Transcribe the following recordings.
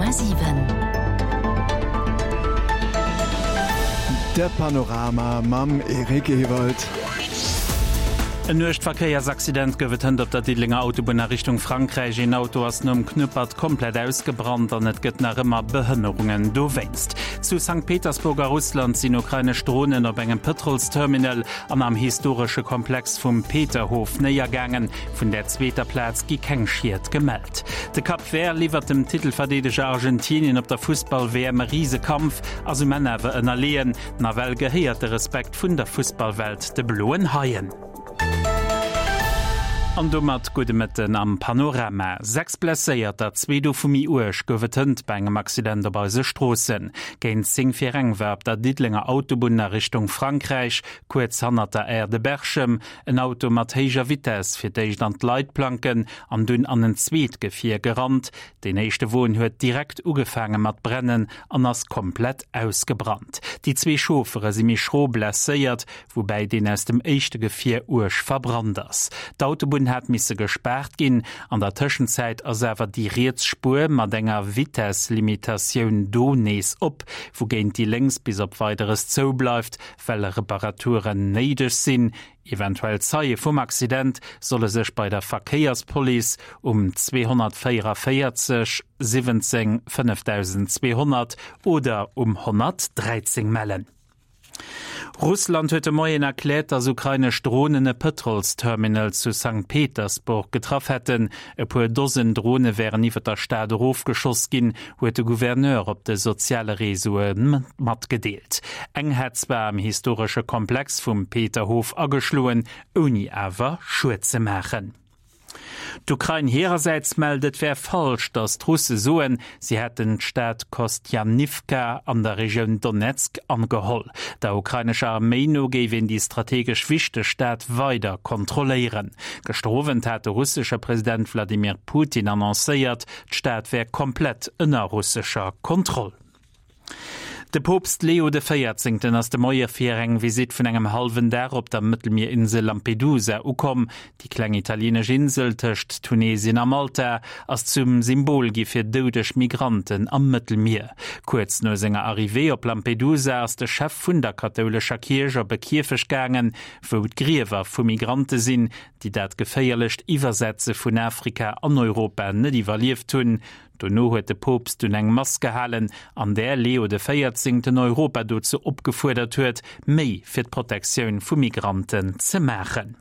100,7. De Panorama mam Eric Ewald. En uergt Verkéiersaccident gouf et hënt op der Diddelenger Autobunn a Richtung Frankräich. Een Auto ass nom Knuppert komplett ausgebrannt an et gëtt nach ëmmer Behënnerungen dowéinst. Zu Sankt Petersburg a Russland sinn ukrainesch Dronen op engem Pëtrolsterminal an am historesche Komplex vum Peterhof néiergaangen. Vun där zweeter Plaz gi keng Schied gemellt. De Cap Vert liwwert dem Titelverdeedeger Argentinien op der Fussball-WM e Risekampf, ass um Enn awer ënnerleeën. Nawell gehéiert de Respekt vun der Fussballwelt de Bloen Haien. An domat gudde Mëtten am Panorama. 6 Blesséierter, zwee dovu méi uerg, gouf et hënt bei engem Accident op eise Stroossen. Géint 10 vir eng war op der Diddelenger Autobunn a Richtung Frankräich, kuerz hannert der Aire de Berchem, en Auto mat héijer Vitess fir d'éischt an d'Leitplanken an dunn an en zweet Gefier gerannt. Deen éischte Won huet direkt ugefaange mat brennen an ass komplett ausgebrannt. Déi zwee Chauffere si méi schro blesséiert, woubäi deen aus dem éischte Gefier uerg verbrannt ass. D'Autobunn hat misse gespaart ginn. An der Tëschenzäit ass awer déi riets Spuer mat enger Vitesslimitatioun do nees op, wougéint déi lénks bis op Weideres zou bleift, well Reparaturen néideg sinn. Eventuell Zeie vum Accident solle sech bei der Verkéierspolice um 244 17 5200 oder um 113 mellen. Russland huet de Moien erkläert, datt ukrainesch Dronen e Pëtrolsterminal zu Sankt Petersburg getraff hätten. E puer Dosen Drone wären iwwer der Stad erofgeschoss ginn, huet de Gouverneur op de soziale Reseaue matgedeelt. Eng hätt zwar am historesche Komplex vum Peterhof ageschloen, ouni awer Schued ze maachen. D'Ukrain hirersäits mellt, et wär falsch, datt d'Russe soen, si hätten d'Stad Kostjaniwka an der Regioun Donezk ageholl. Der ukrainescher Arméi no géif een déi strategesch wichteg Stad weider kontrolléieren. Gëschter Owend hat de russesche President Wladimir Putin annoncéiert, D'Stad wär komplett ënner russescher Kontroll. De Poopst Leo de Véierzéngten ass de Moie fir eng Visitt vun engem hallwen Dag op der Mëttelmierinsel Lampedusa ukomm. Déi kleng italieenesch Insel tëscht Tunesien a Malta ass zum Symbol gi fir doudeg Migranten am Mëttelmier. Kuerz no senger Arrivée op Lampedusa ass de Chef vun der kathoulescher Kierch op e Kierfecht gaangen, wou d'Griewer vu Migrante sinn, déi dat geféierlecht Iwwersetze vun Afrika an Europa net iwwerlieft hunn. Dono huet de Poopst dunn eng Mass gehalen, an där Leo de Véierzéngten Europa dozou opgefuerdert huet, méi fir d'Protektioun vu Migranten ze maachen.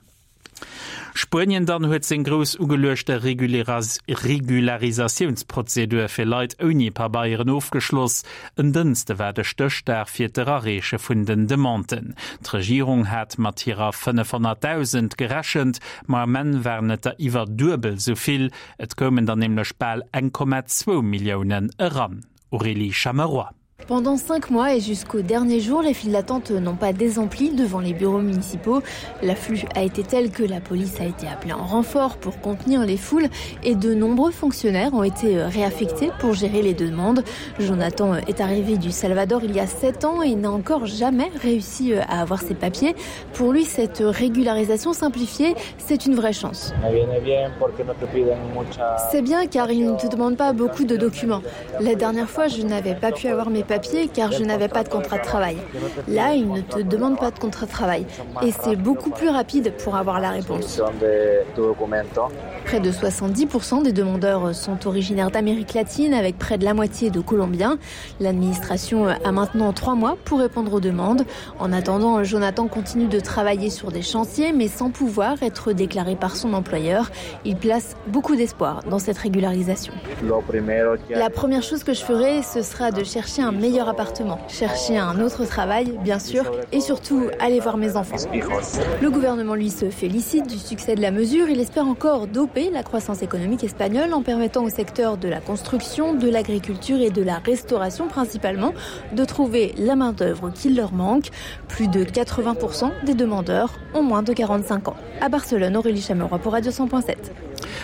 Spuenien dann huet seng grouss ugeluechte Regularisatiounsprozedur fir Leit ouni Pabeieren ofgeschloss. En Dënste war de Stéchdag fir d'Erareeche vun den Demanden. D'Regierung hat mat hirer 500.000 gerechent, ma am Enn waren et der iwwer duebel esou vill. Et koumen der nämlech bal 1,2 Milliounen eran. Aurélie Chameroy. Pendant cinq mois et jusqu'au dernier jour, les files d'attente n'ont pas désempli devant les bureaux municipaux. L'afflux a été tel que la police a été appelée en renfort pour contenir les foules et de nombreux fonctionnaires ont été réaffectés pour gérer les demandes. Jonathan est arrivé du Salvador il y a sept ans et n'a encore jamais réussi à avoir ses papiers. Pour lui, cette régularisation simplifiée, c'est une vraie chance. C'est bien car il ne te demande pas beaucoup de documents. La dernière fois, je n'avais pas pu avoir mes papiers car je n'avais pas de contrat de travail. Là, il ne te demande pas de contrat de travail et c'est beaucoup plus rapide pour avoir la réponse. Près de 70% des demandeurs sont originaires d'Amérique latine avec près de la moitié de Colombiens. L'administration a maintenant trois mois pour répondre aux demandes. En attendant, Jonathan continue de travailler sur des chantiers mais sans pouvoir être déclaré par son employeur. Il place beaucoup d'espoir dans cette régularisation. La première chose que je ferai, ce sera de chercher un meilleur appartement, chercher un autre travail, bien sûr, et surtout aller voir mes enfants. Le gouvernement lui se félicite du succès de la mesure. Il espère encore doper la croissance économique espagnole en permettant au secteur de la construction, de l'agriculture et de la restauration principalement de trouver la main-d'œuvre qui leur manque. Plus de 80% des demandeurs ont moins de 45 ans. À Barcelone, Aurélie Chameroy pour Radio 100.7.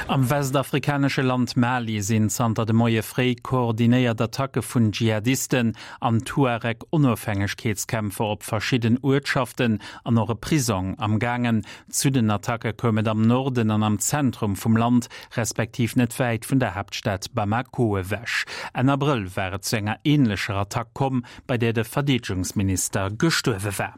Am westafrikanesche Land Mali sinn zanter de Moie fréi koordinéiert Attacke vun Dschihadisten an Tuareg-Onofhängegkeetskämpfer op verschidden Uertschaften an och e Prisong am gaangen. Zu den Attacke koum et am Norden an am Zentrum vum Land, respektiv net wäit vun der Haaptstad Bamako ewech. Enn Abrëll war et zu enger änlecher Attack komm, bei där de Verdeedegungsminister gestuerwe war.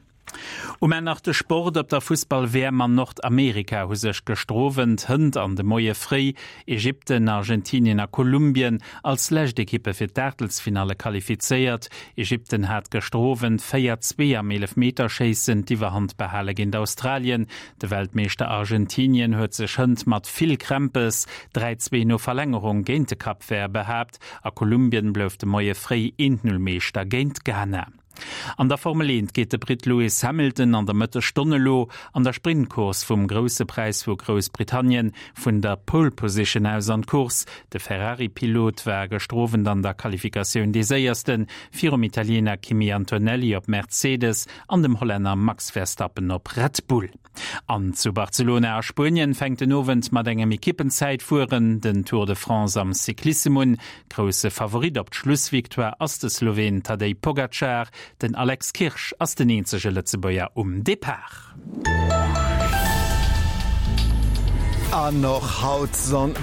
Um Enn nach de Sport, Op der Fussball-WM an Nordamerika hu sech gëschter Owend, hënt an de Moie fréi Ägypten, Argentinien a Kolumbien als lescht Ekippe fir d'Aachtelsfinalle qualifizéiert. Ägypten hat gëschter Owend 4, 2 am Eelefmeterschéissen d'Iwwerhand behale géint Australien. De Weltmeeschter Argentinien huet sech hënt mat vill Krämpes 3, 2 no Verlängerung géint de Cap Vert behaapt a Kolumbien blouf de Moie fréi 1, 0 Meeschter géint Ghana. An der Formel 1 geet de Britt Lewis Hamilton an der Mëttesstonn elo an der Sprintcourse vum Grousse Präis vu Groussbritannien vun der Pole Position aus an d'Course. De Ferrari-Pilot war gëschter Owend an der Qualifikatioun dee Séiersten, virum Italiener Kimi Antonelli op Mercedes an dem Hollänner Max Verstappen op Red Bull. An zu Barcelona a Spuenien fänkt den Owend mat engem Ekippenzäitfueren den Tour de France am Cyclissem un. Grousse Favorit op d'Schlussvictoire ass de Sloween Tadej Pogacar. Den Alex Kirsch ass den eenzege Lëtzebuerger um Depart. An och haut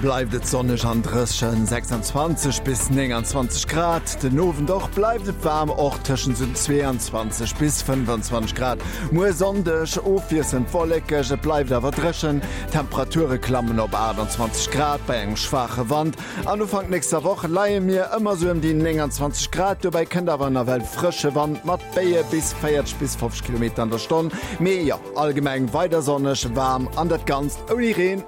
bleift et sonneg an dréchen, 26 bis 29 Grad. Den Owend och bleift et waarm, och tëschent 22 bis 25 Grad. Muer Sonndeg ofwiesselnd wollekeg, et bleift awer dréchen. D'Temperature klammen op 28 Grad bei engem schwaache Wand. An Ufank nächster Woch leie mir ëmmer sou ëm déi 29 Grad, dobäi kënnt awer nawell frësche Wand mat Béie bis 40 bis 50 Kilometer an der Stonn. Mee jo, allgemeng weider sonneg, waarm an dat Ganzt ouni Reen.